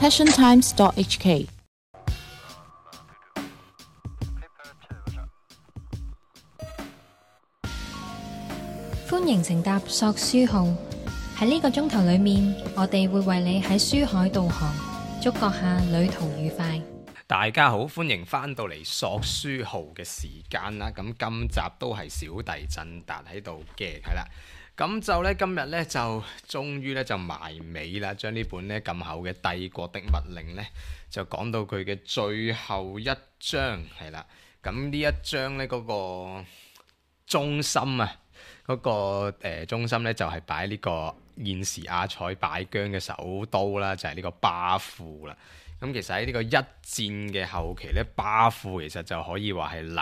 passiontimes.hk。歡迎乘搭索書號，喺呢個鐘頭裏面，我哋會為你喺書海導航，祝閣下旅途愉快。大家好，歡迎翻到嚟索書號嘅時間啦。咁今集都係小弟振達喺度嘅，係啦。咁就呢，今日呢，就終於呢，就埋尾啦，將呢本呢咁厚嘅《帝國的密令》呢，就講到佢嘅最後一章，係啦。咁呢一章呢，嗰個中心啊，嗰個中心呢，就係擺呢個現時阿塞拜疆嘅首都啦，就係呢個巴庫啦。咁其實喺呢個一戰嘅後期呢，巴庫其實就可以話係立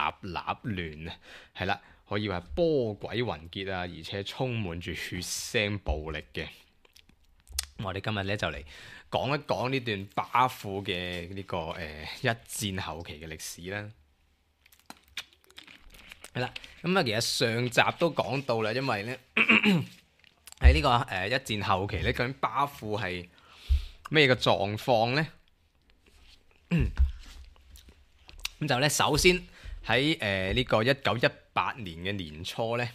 亂啊，係啦。可以話波詭雲結啊，而且充滿住血腥暴力嘅。我哋今日咧就嚟講一講呢段巴庫嘅呢個一戰後期嘅歷史啦。係啦，咁啊其實上集都講到啦，因為咧喺呢個一戰後期咧，究竟巴庫係咩嘅狀況咧？咁就咧首先喺呢個1918年嘅年初咧，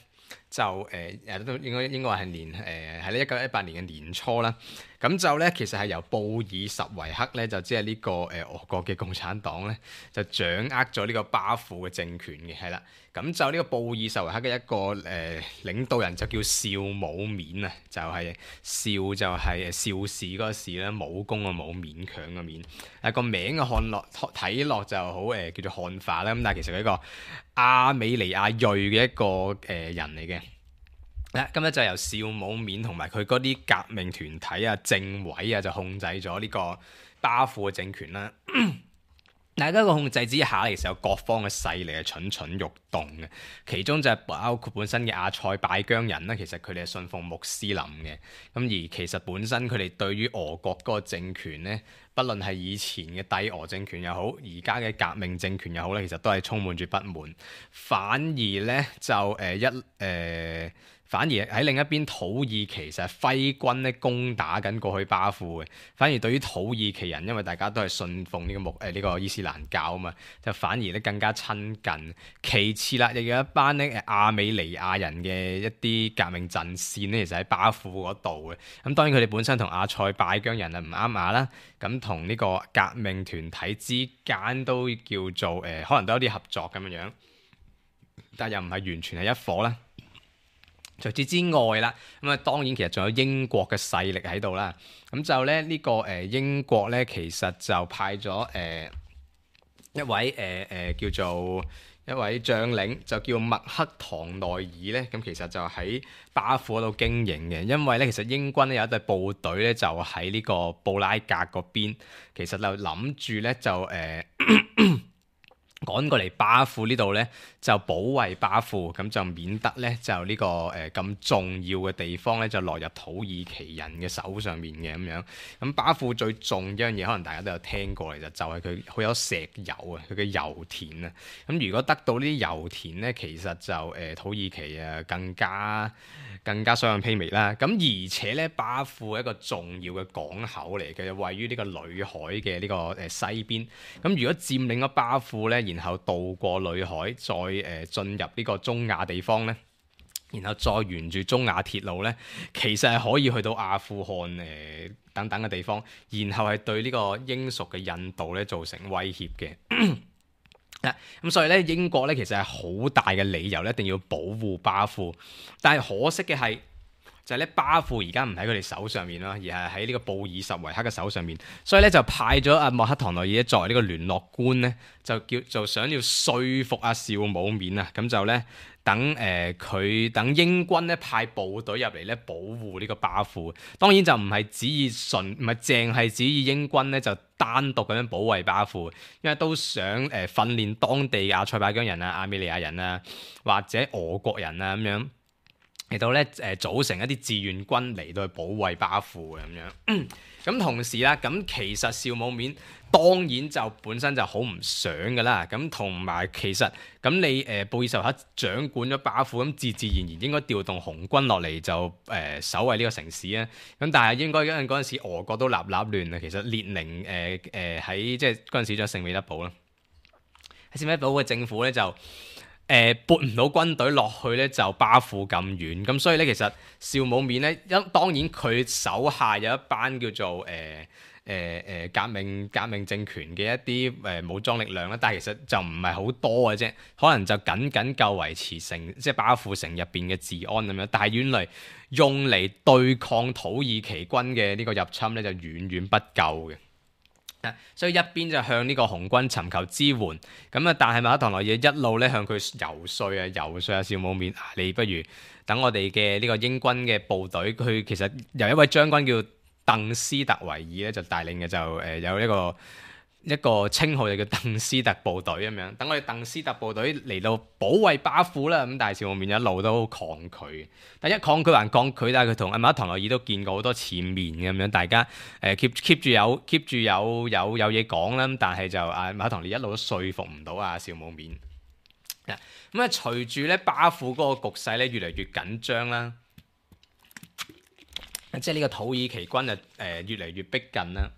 就都應該話係係咧1918年嘅年初啦。咁就咧其實係由布爾什維克咧，就即係呢個俄國嘅共產黨咧，就掌握咗呢個巴庫嘅政權嘅，係啦。咁就呢個布爾什維克嘅一個領導人就叫邵武勉啊，就係邵就係邵氏嗰個氏啦，武功嘅武，勉強嘅勉。個名嘅睇落就好叫做漢化啦。咁但係其實佢一個亞美尼亞裔嘅一個人嚟嘅。咁咧就由邵武勉同埋佢嗰啲革命團體啊、政委啊，就控制咗呢個巴庫嘅政權啦。大家個控制之下，其實有各方嘅勢力係蠢蠢欲動嘅，其中就係包括本身嘅阿塞拜疆人啦。其實佢哋係信奉穆斯林嘅，咁而其實本身佢哋對於俄國嗰個政權呢，不論係以前嘅帝俄政權又好，而家嘅革命政權又好咧，其實都係充滿住不滿。反而呢，就反而喺另一邊土耳其其實係揮軍咧攻打緊過去巴庫嘅。反而對於土耳其人，因為大家都係信奉呢個伊斯蘭教啊嘛，就反而咧更加親近。其次啦，亦有一班咧亞美尼亞人嘅一啲革命陣線咧，其實喺巴庫嗰度嘅。咁當然佢哋本身同阿塞拜疆人啊唔啱牙啦，咁同呢個革命團體之間都叫做可能都有啲合作咁樣樣，但又唔係完全係一夥啦。除此之外啦，咁啊當然其實仲有英國嘅勢力喺度啦。咁就咧呢個英國咧，其實就派咗一位叫做一位將領，就叫麥克唐內爾咧。咁其實就喺巴庫嗰度經營嘅，因為咧其實英軍咧有一隊部隊咧就喺呢個布拉格嗰邊，其實就諗住咧就趕過嚟巴庫呢度呢，就保衛巴庫，咁就免得呢，就呢個咁重要嘅地方呢，就落入土耳其人嘅手上面嘅咁樣。咁巴庫最重要一樣嘢，可能大家都有聽過嚟，就係佢好有石油啊，佢嘅油田啊。咁如果得到呢啲油田呢，其實就土耳其啊更加所向披靡啦。咁而且呢，巴庫係一個重要嘅港口嚟嘅，位於呢個裏海嘅呢個西邊。咁如果佔領咗巴庫呢，然後渡過裏海，再進入呢個中亞地方呢，然後再沿住中亞鐵路呢，其實係可以去到阿富汗等等嘅地方，然後係對呢個英屬嘅印度呢造成威脅嘅。咁所以咧，英國咧其實係好大嘅理由咧，一定要保護巴庫。但係可惜嘅係，就係咧巴庫而家唔喺佢哋手上面啦，而係喺呢個布爾什維克嘅手上面。所以咧就派咗阿莫克唐內爾作為呢個聯絡官咧，就想要說服阿邵武勉啊，咁就咧等英軍咧派部隊入嚟咧保護呢個巴庫。當然就唔係淨係指意英軍咧就單獨咁樣保衛巴庫，因為都想訓練當地嘅阿塞拜疆人啊、亞美尼亞人啊或者俄國人啊咁樣。嚟到咧組成一啲志願軍嚟到去保衛巴富嘅咁樣。咁同時啦，咁其實邵武冕當然就本身就好唔想㗎啦。咁同埋其實咁你布爾什維克掌管咗巴富，咁自然應該調動紅軍落嚟就守衛呢個城市啊。咁但係應該因為嗰陣時俄國都立亂啊。其實列寧喺即係嗰陣時仲有聖彼得堡啦，喺聖彼得堡嘅政府咧就撥唔到軍隊落去咧，就巴富咁遠，咁所以咧其實邵武冕咧，當然佢手下有一班叫做革命政權嘅一啲武裝力量啦，但係其實就唔係好多嘅啫，可能就僅夠維持城即係巴富城入邊嘅治安咁樣，但係原來用嚟對抗土耳其軍嘅呢個入侵咧就遠不夠嘅。所以一邊就向呢個紅軍尋求支援，咁啊，但係馬克唐諾爾一路咧向佢游說啊，邵武冕，你不如等我哋嘅呢個英軍嘅部隊，佢其實由一位將軍叫鄧斯特維爾咧就帶領嘅，就有一個稱號就叫鄧斯特部隊咁樣，等我哋鄧斯特部隊嚟到保衛巴富啦。咁但係邵武冕一路都抗拒，但一抗拒還抗拒，但係佢同馬克唐諾爾都見過好多次面咁樣，大家keep 住有嘢講啦。但係就馬克唐諾爾一路都說服唔到邵武冕。咁啊，隨住咧巴富嗰個局勢咧越嚟越緊張啦，即係呢個土耳其軍越嚟越逼近啦。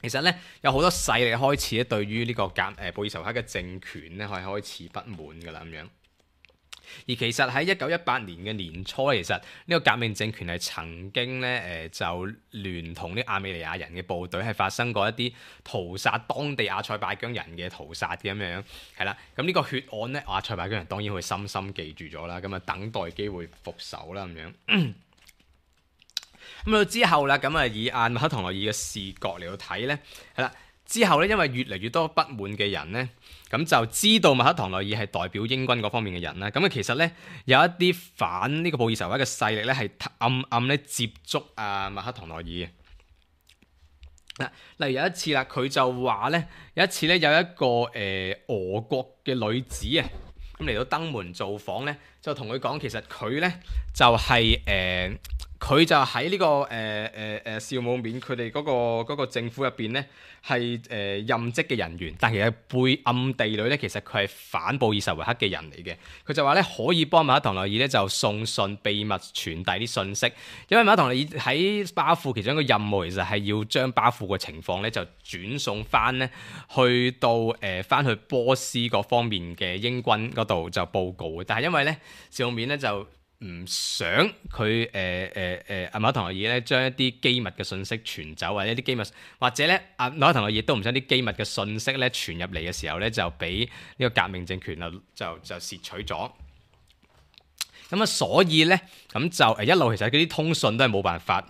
其實咧有好多勢力開始咧對於呢個布爾什維克嘅政權咧係開始不滿㗎啦咁樣。而其實喺1918年嘅年初，其實呢個革命政權係曾經咧就聯同啲亞美尼亞人嘅部隊係發生過一啲屠殺當地阿塞拜疆人嘅屠殺嘅咁樣，係啦。咁呢個血案咧，阿塞拜疆人當然會深深記住咗啦，咁啊等待機會復仇啦咁樣。咁到之後啦，咁啊以馬克唐諾爾嘅視角嚟到睇咧，係啦。之後咧，因為越嚟越多不滿嘅人咧，咁就知道馬克唐諾爾係代表英軍嗰方面嘅人啦。咁啊，其實咧有一啲反呢個布爾什維克嘅勢力咧，係暗咧接觸馬克唐諾爾嘅。嗱，例如有一次啦，佢就話咧，有一次咧有一個俄國嘅女子啊，咁嚟到登門造訪咧，就同佢講，其實佢咧就係佢就喺呢個邵武冕佢哋嗰個政府入邊咧係任職嘅人員，但其實暗地裏咧其實佢係反布爾什維克嘅人嚟嘅。佢就話咧可以幫馬克唐諾爾咧就送信秘密傳遞啲信息，因為馬克唐諾爾喺巴富其中一個任務其實係要將巴富嘅情況咧就轉送翻咧去到翻去波斯嗰方面嘅英軍嗰度就報告嘅。但係因為咧邵武冕咧就唔想佢馬克唐諾爾咧將一啲機密嘅信息傳走，或者一啲機密，或者咧馬克唐諾爾亦都唔想啲機密嘅信息咧傳入嚟嘅時候咧就俾呢個革命政權就竊取咗。咁啊，所以咧咁就一路其實嗰啲通訊都係冇辦法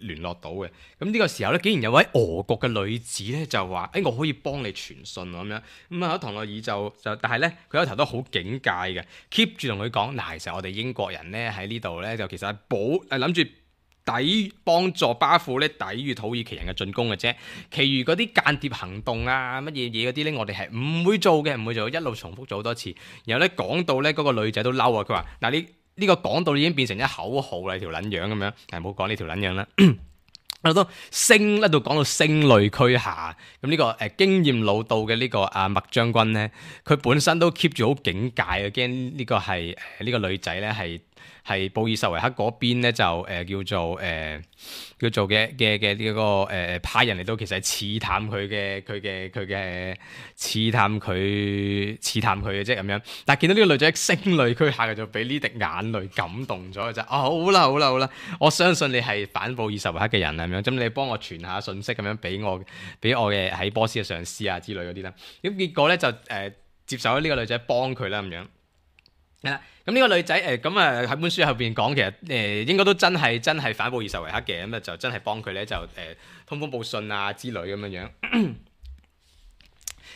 聯絡到嘅。咁呢個時候咧，竟然有位俄國嘅女子咧就話：我可以幫你傳信咁樣。咁啊，唐諾爾就但係咧佢有頭都好警戒嘅 ，keep 住同佢講嗱，其實我哋英國人咧喺呢度咧就其實係諗住幫助巴富咧抵禦土耳其人嘅進攻嘅啫。其餘嗰啲間諜行動啊乜嘢嗰啲咧，我哋係唔會做嘅，一路重複咗好多次。然後咧講到咧嗰個女仔都嬲啊，佢話嗱你。呢個講到已經變成一口號啦，條撚樣咁樣，唔好講呢條撚樣啦。我都一度講到聲淚俱下。咁呢個經驗老道嘅呢個麥將軍咧，佢本身都 keep 住好警戒嘅，驚呢個係呢個女仔咧係布爾什維克嗰邊咧就叫做嘅呢個派人嚟到，其實係刺探佢嘅刺探佢嘅啫咁樣。但係見到呢個女仔聲淚俱下嘅，就俾呢滴眼淚感動咗就好啦，我相信你係反布爾什維克嘅人咁樣，咁你幫我傳下信息咁樣俾我嘅喺波斯嘅上司啊之類嗰啲啦。咁結果咧就接受咗呢個女仔幫佢啦咁樣。係啦，咁呢個女仔咁喺本書後邊講，其實應該都真係反布爾什維克嘅，咁啊就真係幫佢咧就通風報信啊之類咁樣。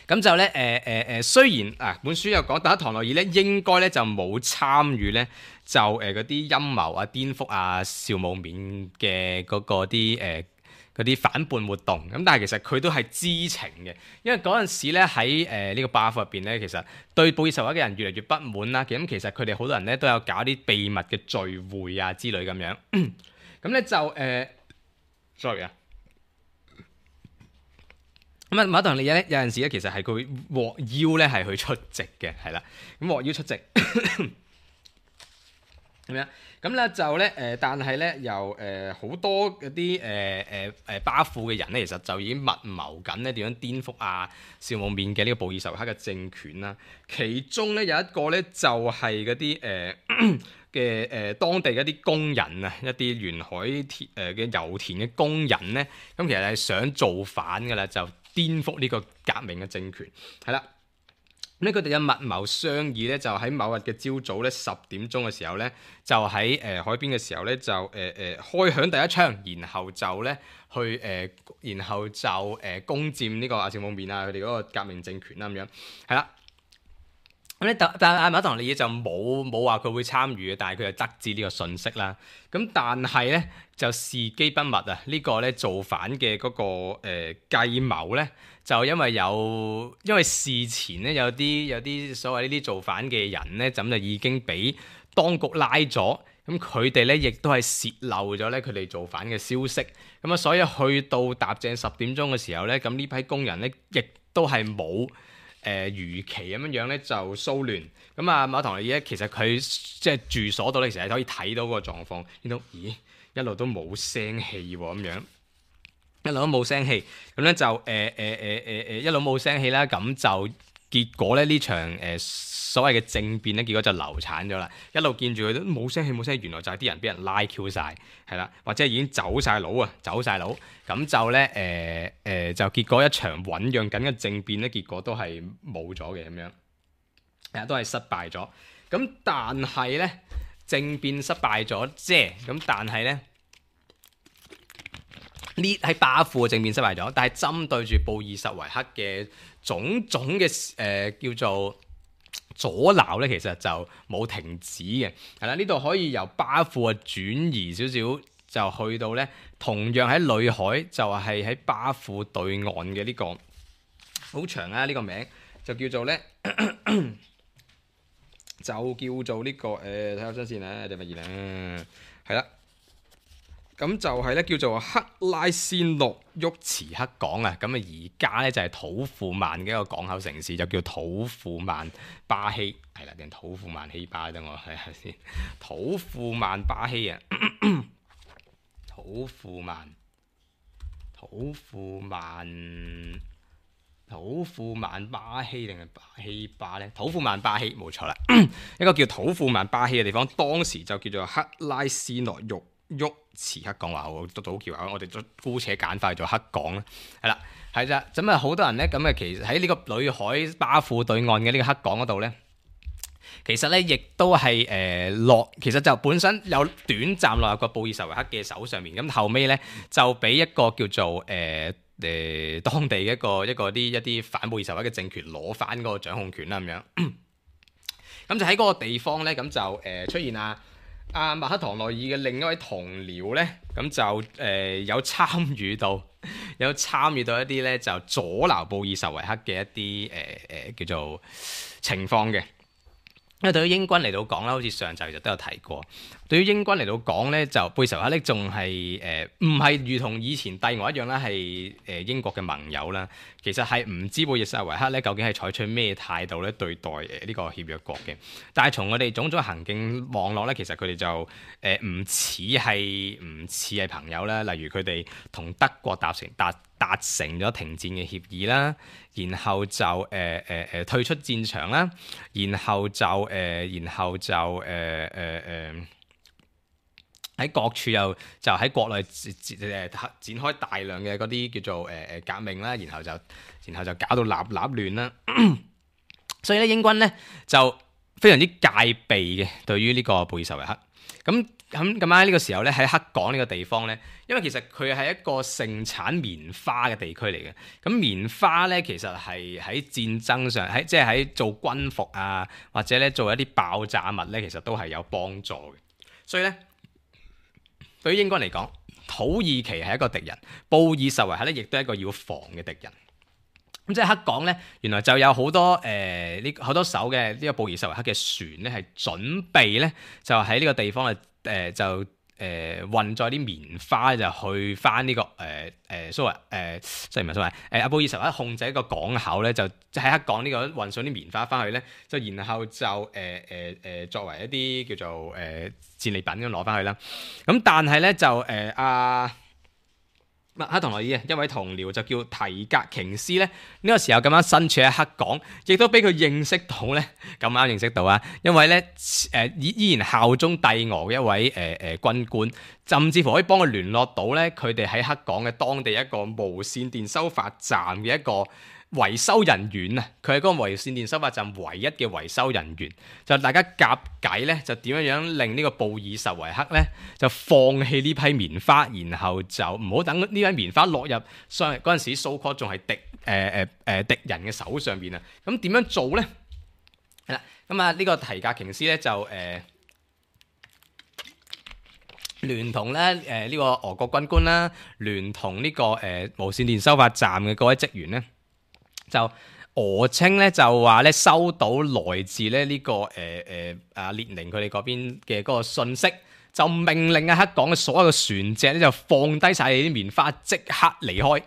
咁就咧雖然本書又講，但係唐諾爾咧應該咧就冇參與咧就嗰啲陰謀啊顛覆邵武冕嘅嗰啲嗰啲反叛活動，咁但係其實佢都係知情嘅，因為嗰陣時咧喺呢個巴庫入邊咧，其實對布爾什維克嘅人越嚟越不滿啦。咁其實佢哋好多人咧都有搞啲秘密嘅聚會啊之類咁樣，咁咧就sorry 啊，咁啊馬克唐利耶咧有陣時咧其實係佢獲邀咧係去出席嘅，係啦，咁獲邀出席咁樣。咁咧就咧但係咧由好多嗰啲巴庫嘅人咧，其實就已經密謀緊咧點樣顛覆紹姆面嘅呢個布爾什維克嘅政權啦。其中咧有一個咧就係嗰啲嘅當地嗰啲工人啊，一啲沿海嘅油田嘅工人咧，咁其實係想造反㗎啦，就顛覆呢個革命嘅政權，係啦。咁佢哋嘅密謀商議咧，就喺某日嘅朝早咧10點鐘嘅時候咧，就喺海邊嘅時候咧，就開響第一槍，然後就咧去然後就攻佔呢個紹姆面啊，佢哋嗰個革命政權啦咁樣，係啦。咁咧，但係馬克唐利耶就冇話佢會參與嘅，但係佢就得知呢個信息啦。咁但係咧就時機不密啊！呢個咧造反嘅嗰個計謀咧，就因為事前咧有啲所謂呢啲造反嘅人咧，咁就已經俾當局拉咗。咁佢哋咧亦都係泄漏咗咧佢哋造反嘅消息。咁啊，所以去到踏正10點鐘嘅時候咧，咁呢批工人咧亦都係冇如期咁樣咧就騷亂。咁啊，馬克唐利耶其實佢即係住所度咧，其實係可以睇到嗰個狀況，見到咦一路都冇聲氣喎咁樣，一路都冇聲氣，咁咧就一路冇聲氣啦，咁就結果咧呢場所謂嘅政變咧，結果就流產咗啦。一路見住佢都冇聲氣，原來就係啲人俾人拉 Q 晒，係啦，或者已經走晒佬，咁就咧就結果一場醖釀緊嘅政變咧，結果都係冇咗嘅咁樣，都係失敗咗。咁但係咧政變失敗咗啫，咁但係咧呢喺巴庫嘅政變失敗咗，但係針對住布爾什維克嘅種種嘅叫做阻撓咧，其實就冇停止嘅，係啦。呢度可以由巴庫轉移少少，就去到咧同樣喺裏海，就係喺巴庫對岸嘅呢個好長啊！呢個名就叫做咧就叫做呢個睇下先先啊，第乜嘢啊？係啦。咁就係咧叫做克拉先諾沃茨克港啊，咁啊而家咧就係土庫曼嘅一個港口城市，就叫土庫曼巴希，係啦定土庫曼希巴，等我睇下先。土庫曼巴希啊，土庫曼巴希定係巴希巴咧？土庫曼巴希冇錯啦，一個叫土庫曼巴希嘅地方，當時就叫做克拉斯諾沃茨克港，話好都好橋口，我哋都姑且簡化做黑港啦，係啦，係咋，咁啊好多人咧，咁啊其實喺呢個裏海巴庫對岸嘅呢個黑港嗰度咧，其實咧亦都係其實就本身有短暫落入個布爾什維克嘅手上面，咁後尾咧就俾一個叫做當地嘅一啲反布爾什維克嘅政權攞翻嗰個掌控權啦咁樣，咁就喺嗰個地方咧，咁就出現馬克唐內爾嘅另一位同僚咧，咁就有參與到一啲咧就阻撓布爾什維克嘅一啲叫做情況嘅。因為對於英軍嚟到講啦，好似上集其實都有提過。對於英軍嚟到講咧，就布爾什維克咧仲係唔係如同以前帝俄一樣啦，係英國嘅盟友啦。其實係唔知布爾什維克咧究竟係採取咩態度咧對待呢個協約國嘅。但係從我哋種種行徑望落咧，其實佢哋就唔似係朋友啦。例如佢哋同德國達成咗停戰嘅協議啦，然後就退出戰場啦，然後就喺各處又就喺國內展開大量嘅嗰啲叫做革命啦，然後就搞到立亂啦。所以咧英軍咧就非常之戒備嘅對於呢個布爾什維克。咁喺呢個時候咧，喺黑港呢個地方咧，因為其實佢係一個盛產棉花嘅地區嚟嘅。咁棉花咧，其實係喺戰爭上，即係喺做軍服啊，或者咧做一啲爆炸物咧，其實都係有幫助嘅。所以咧，對於英軍嚟講，土耳其係一個敵人，布爾什維克咧亦都係一個要防嘅敵人。咁即係黑港咧，原來就有好多好多艘嘅呢個布爾什維克嘅船咧，係準備咧就喺呢個地方就運載啲棉花就去翻呢個蘇維阿布爾什維克控制一個港口咧，就喺黑港呢個運送啲棉花翻去咧，就然後就作為一啲叫做戰利品咁攞翻去啦。咁但係咧就麥克唐諾爾一位同僚就叫提格瓊斯咧，呢個時候咁啱身處喺黑港，亦都俾佢認識到咧，咁啱認識到啊，因為咧依然效忠帝俄嘅一位軍官，甚至乎可以幫佢聯絡到咧佢哋喺黑港嘅當地一個無線電收發站嘅一個維修人員啊，佢係嗰個無線電收發站唯一嘅維修人員，就大家夾計咧，就點樣令呢個布爾什維克咧就放棄呢批棉花，然後就唔好等呢批棉花落入嗰陣時蘇科仲係敵人嘅手上邊啊！咁點樣做咧？係啦，咁啊呢個提格瓊斯咧就聯同咧呢個俄國軍官啦，聯同呢個無線電收發站嘅各位職員咧。就俄稱咧就話咧收到來自咧呢個列寧佢哋嗰邊嘅嗰個信息，就命令黑港嘅所有嘅船隻咧就放低晒啲棉花，即刻離開。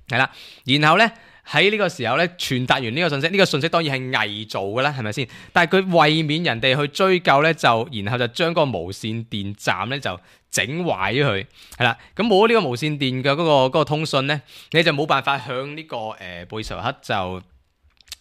係啦，然後咧喺呢個時候咧傳達完呢個信息，呢個信息當然係偽造嘅啦，係咪先？但係佢為免人哋去追究咧，然後就將嗰個無線電站咧就整壞咗佢，係啦，咁冇咗呢個無線電嘅嗰個通訊咧，你就冇辦法向呢個布爾什維克就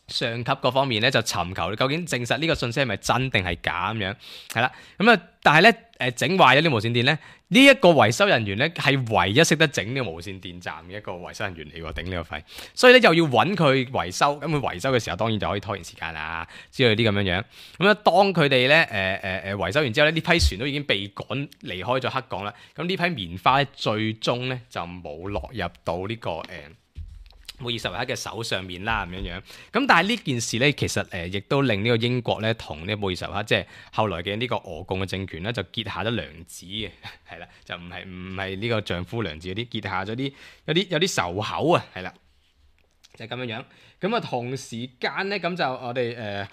上級嗰方面咧就尋求究竟證實呢個信息係咪真定係假咁樣，係啦，咁啊，但係咧整壞咗啲無線電咧，呢一個維修人員咧係唯一識得整呢個無線電站嘅一個維修人員嚟喎，頂呢個肺，所以咧又要揾佢維修，咁佢維修嘅時候當然就可以拖延時間啦，之類啲咁樣樣。咁咧當佢哋咧維修完之後咧，呢批船都已經被趕離開咗黑港啦。咁呢批棉花咧最終咧就冇落入到呢個布爾什維克嘅手上面啦，咁樣樣。咁但係呢件事咧，其實亦都令呢個英國咧同呢布爾什維克即係後來嘅呢個俄共嘅政權咧，就結下咗梁子嘅，係啦，就唔係呢個丈夫娘子嗰啲，結下咗有啲仇口啊，係啦，就係咁樣樣。咁啊同時間咧，咁就我哋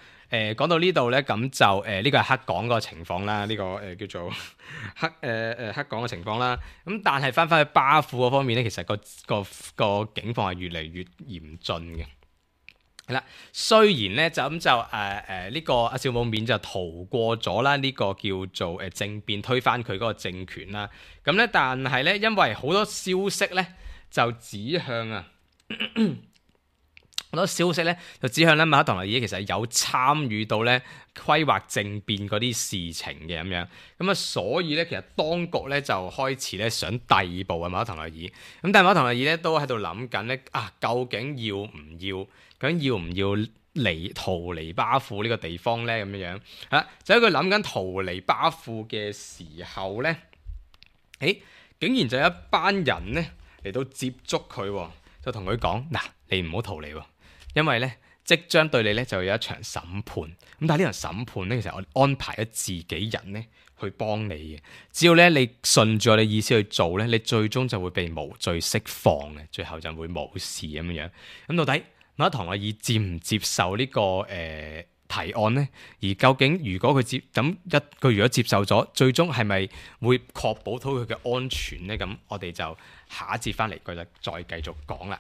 講到呢度咧，咁就呢個係黑港個情況啦，呢個叫做黑港嘅情況啦。咁但係翻去巴庫嗰方面咧，其實個境況係越嚟越嚴峻嘅。係啦，雖然咧就呢個阿少姆冕就逃過咗啦，呢個叫做政變推翻佢嗰個政權啦。咁咧，但係咧，因為好多消息咧就指向好多消息咧就指向咧麥克唐諾爾其實有參與到咧規劃政變嗰啲事情嘅咁樣，咁啊所以咧其實當局咧就開始咧想逮捕啊麥克唐諾爾，咁但係麥克唐諾爾咧都喺度諗緊咧究竟要唔要逃離巴庫呢個地方咧咁樣樣，就喺佢諗緊逃離巴庫嘅時候咧，竟然就有一班人咧嚟到接觸佢，就同佢講嗱，你唔好逃離喎。因為咧，即將對你咧就有一場審判，咁但係呢場審判咧，其實我安排咗自己人咧去幫你嘅。只要咧你順住我哋意思去做咧，你最終就會被無罪釋放嘅，最後就會冇事咁樣。咁到底麥克唐諾爾接唔接受呢個提案呢？而究竟如果佢佢如果接受咗，最終係咪會確保到佢嘅安全呢？咁我哋就下一節翻嚟佢就再繼續講啦。